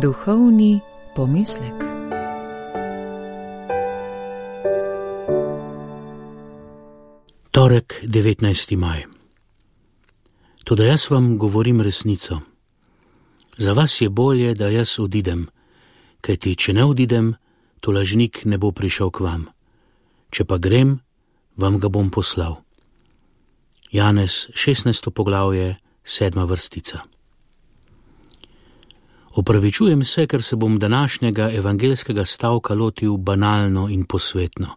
Duhovni pomislek. Torek, 19. maj. Toda jaz vam govorim resnico. Za vas je bolje, da jaz odidem, kajti če ne odidem, to lažnik ne bo prišel k vam. Če pa grem, vam ga bom poslal. Janez, 16. poglavje, 7. vrstica. Opravičujem se, ker se bom današnjega evangelskega stavka lotil banalno in posvetno.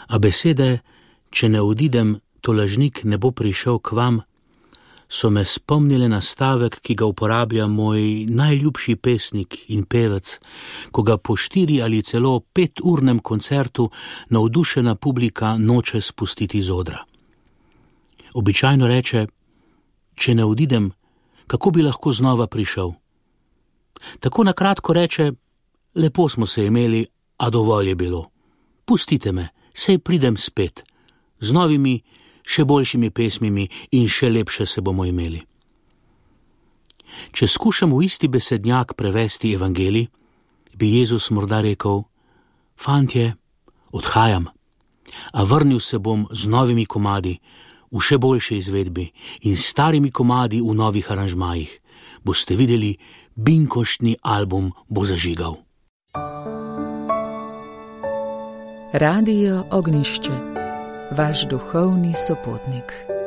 A besede, če ne odidem, to lažnik ne bo prišel k vam, so me spomnile na stavek, ki ga uporablja moj najljubši pesnik in pevec, ko ga po 4 ali celo 5-urnem koncertu navdušena publika noče spustiti z odra. Običajno reče: če ne odidem, kako bi lahko znova prišel? Tako na kratko reče: lepo smo se imeli, a dovolj je bilo. Pustite me, sej pridem spet, z novimi, še boljšimi pesmimi in še lepše se bomo imeli. Če skušam v isti besednjak prevesti evangelij, bi Jezus morda rekel: fantje, odhajam, a vrnil se bom z novimi komadi, v še boljši izvedbi in starimi komadi v novih aranžmajih. Boste videli, binkoštni album bo zažigal. Radio Ognjišče, vaš duhovni sopotnik.